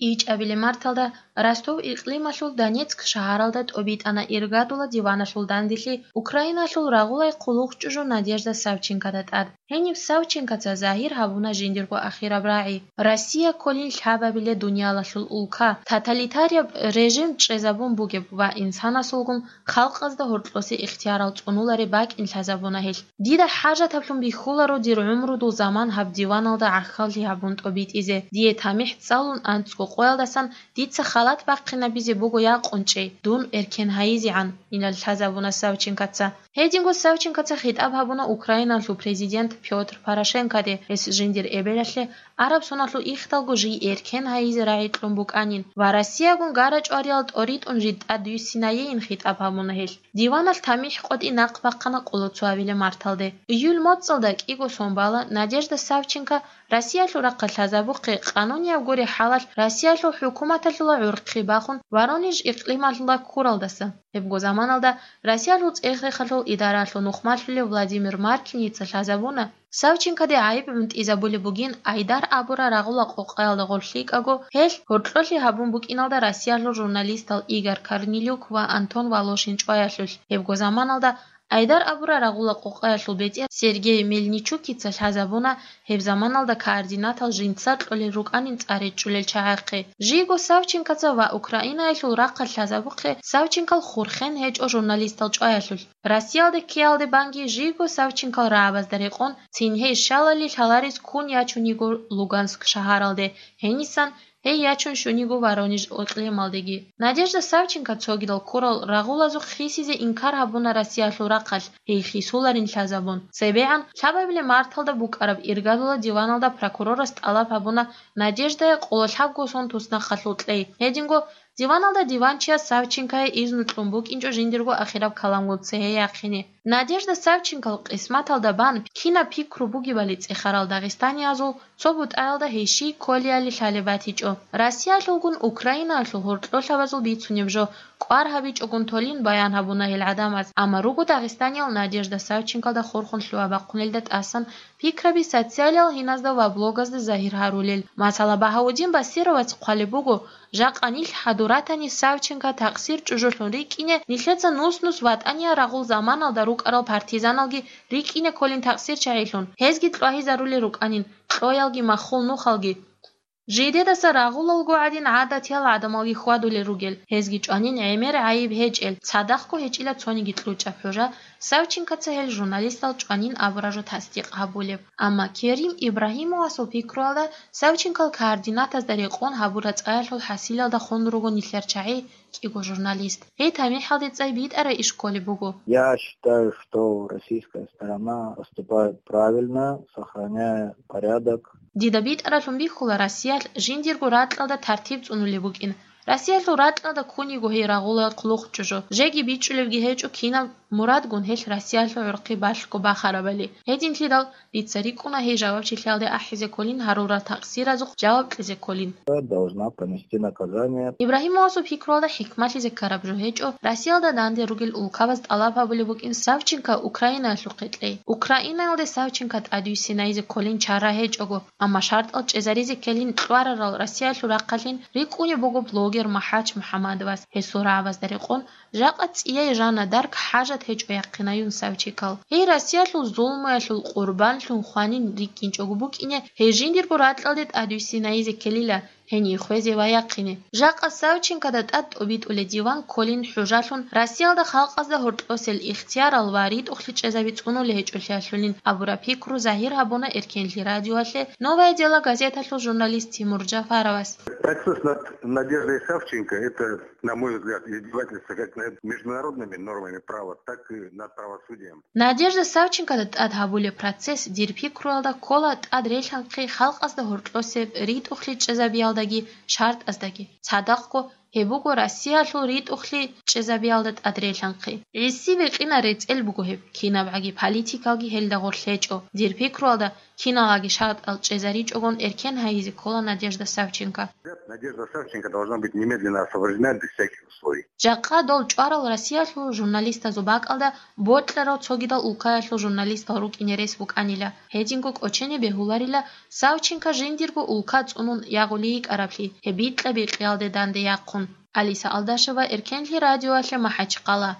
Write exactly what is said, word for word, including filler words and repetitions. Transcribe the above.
ИчӀабилеб марталда Ростов икълималъул Донецк шагьаралда тӀобитӀана иргадула диваналъул данделъи Украиналъул рагъулай хъулухъчӀужу Надежда Савченкода тӀад. Гьениб Савченкоца загьир гьабуна жиндирго ахираб рагӀи: Россия кколин лъабабилеб дуниялалъул улка, тоталитарияб режим чӀезабун бугеб ва инсанасулгун халкъазда гьоркьосе ихтиярал цӀунулареб бакӀин лъазабуна гьелъ. Дида хӀажатаблъун бихьуларо дир гӀумрудул заман гьаб диваналда гӀахьаллъи гьабун тӀобитӀизе. Дие тамихӀ цӀалун анцӀго къоялдасан дица халат бахъинабизе буго якъунчӀей, дун эркен гьайизегӀан, инал лъазабуна Савченкоца. Гьединго Савченкоца хитӀаб гьабуна Украиналъул президент Пётр Порошенкоде, гьес жиндир эбелалъе араб соналъул ихдалго жий эркен гьайизе рагӀи кьун букӀанин ва Россиягун гарачӀвариял тӀоритӀун жид тӀадвиссинайейин хитӀаб гьабуна гьелъ. Диваналъ тамихӀ къотӀи нахъ бахъана къоло цоабилеб марталде. Июль моцӀалда кӀиго сон бала Надежда Савченко Россиялъул рахъалъ лъазабухъе къанунияб гури хӀалалъ Россиялъул хӀукуматалъула гӀурхъи бахун Воронеж икълималъула ккуралдаса. Гьебго заманалда Россиялъул цӀех-рехалъул идаралъул нухмалъулев Владимир Маркиница лъазабуна, Савченкоде гӀайиб гӀунтӀизабулеб бугин Айдар абураб рагъула къокъаялда гъорлъ йикӀаго, гьелъ гьоркьолъи гьабун букӀиналда Россиялъул журналистал Игорь Корнелюк ва Антон Волошин чӀваялъулъ. Гьебго заманалда Айдар абураб рагъула къокъаялъул бетӀер Сергей Мельничукица лъазабуна, гьеб заманалда координатал жинца кьолел рукӀанин цӀар речӀчӀулел чагӀахъе. Жийго Савченкоца ва Украинаялъул рахъалъ лъазабухъе Савченкол хурхен гьечӀо журналистал чӀваялъулъ. Россиялде ккеялде банги жийго Савченкол рагӀабазда рекъон цин гьей щалали лъаларес ккун ячун йиго Луганск шагьаралде, гьенисан гьей ячун щун йиго Воронеж икълималдеги. Надежда Савченко цогидал ккурал рагъулазухъ хисизе инкар гьабуна Россиялъул рахъалъ, гьей хисуларин лъазабун. ЦебегӀан лъабабилеб марталда букӀараб иргадула диваналда прокурорас тӀалаб гьабуна Надеждае къоло лъабго сон туснахъалъул кьей. Гьединго диваналда диванчияс Савченкое изну кьун букӀинчӀо жиндирго ахираб каламгун цере яхъине. Надежда Савченкол къисматалда бан кинаб пикру бугебали цӀехарал дагъистаниязул цо бутӀаялда гьей щий кколиали лъалеб батичӀо. Россиялъулгун Украинаялъул гьоркьолъабазул бицунеб жо кӀвар гьабичӀогун толин баян гьабуна гьел гӀадамаз, амма руго дагъистаниял Надежда Савченколда хурхун лъугьа-бахъунелда тӀасан пикраби социалиял гьиназда ва блогазда загьир гьарулел. Масала, Багьаудин Басировац хъвалеб буго, жакъа нилъ хӀадур ратани Савченко такъсир чӀужулъун рикӀкӀине, нилъеца нус-нус ВатӀания рагъул заманалда рукӀарал партизаналги рикӀкӀине кколин такъсирчагӀилъун, гьезги кьвагьизарулел рукӀанин, кьоялги маххул нухалги. Жидедаса рагъулалго гӀадин гӀадатиял гӀадамалги хьвадулел ругел, гьезги чӀванин гӀемер гӀайиб гьечӀел, цадахъго гьечӀила цониги кьучӀаб хӀужа, Савченкоца гьел журналистал чӀванин абураб жо тасдикъ гьабулеб. Амма Керим Ибрагьимовасул пикруялда, Савченкол координатазда рекъон гьабураб цӀаялъул хӀасилалда хун руго нилъер чагӀи, кӀиго журналист. Гьей тамихӀалде цӀай битӀарай иш кколеб буго. Я считаю, что российская сторона поступает правильно, сохраняя порядок. Дида битӀаралъун бихьула Россиялъ жиндирго ракьалда тартиб цӀунулеб букӀин. Россиялъул ракьалда ккун йиго гьей рагъула хъулухъчӀужу, жеги бичӀчӀулебги гьечӀо кинаб мурадгун гьелъ Россиялъул гӀурхъи балъго бахарабали. Гьединлъидал дица рикӀкӀуна гьей жавабчилъиялде ахӀизе кколин гьарурал такъсиразухъ жаваб кьезе кколин. Должна понести наказание. Ибрагьимовасул пикруялда хӀикмалъизе ккараб жо гьечӀо, Россиялда данде ругел улкабаз тӀалаб гьабулеб букӀин Савченко Украинаялъухъе кьей. Украинаялде Савченко тӀадвиссинайзе кколин чара гьечӀого, амма шартӀал чӀезаризе ккелин кьварарал Россиялъул рахъалъин рикӀкӀунеб буго блогер МахӀач МухӀаммадовас, гьесул рагӀабазда рекъон, жакъа цӀияй жана дарг хӀажат гьечӀо яхъинаюн Савченкол. Гьей Россиялъул зулмуялъул къурбанлъун хванин рикӀкӀинчӀого букӀине, гьей жиндирго ракьалде тӀадвиссинайзе ккелила, гьение хвезе ва яхъине. Жакъа Савченкода тӀад тӀобитӀулеб диван кколин хӀужалъун, Россиялда халкъазда гьоркьосел ихтиярал ва ритӀухълъи чӀезаби цӀунулей гьечӀолъиялъулин абураб пикру загьир гьабуна Эркенлъи радиоялъе «Новое дело» газеталъул журналист Тимур Джафаровас. Процесс над Надеждой Савченко — это, на мой взгляд, издевательство как над международными нормами права, так и над правосудием. Надежда Савченкода тӀад гьабулеб процесс, дир пикруялда, ккола тӀад релъанхъи халкъазда гьоркьосеб ритӀухълъи чӀезабиялдаги шартӀаздаги. Цадахъго, Гьеб буго Россиялъул ритӀухълъи чӀезабиялда тӀадрелъанхъи. Гьесие бикьинал рецӀел буго гьеб, кинабгӀаги политикалги гьелда гъорлъ гьечӀо. Дир пикруялда, киналгӀаги шартӀал чӀезаричӀогон, эркен гьайизе ккола Надежда Савченко. Надежда Савченко должна быть немедленно освобождена без всяких условий. Жакъа дол чӀварал Россиялъул журналистазул бакӀалда бокьарал цогидал улкаялъул журналистал рукӀине рес букӀанила. Гьединго кӀочене бегьуларила Савченко жиндирго улка цӀунун ягъулей йикӀараблъи, гьеб бикьа-бикьиялде данде яхъун. Алиса Алдашева, Эркенлъи радиоялъе МахӀачхъала.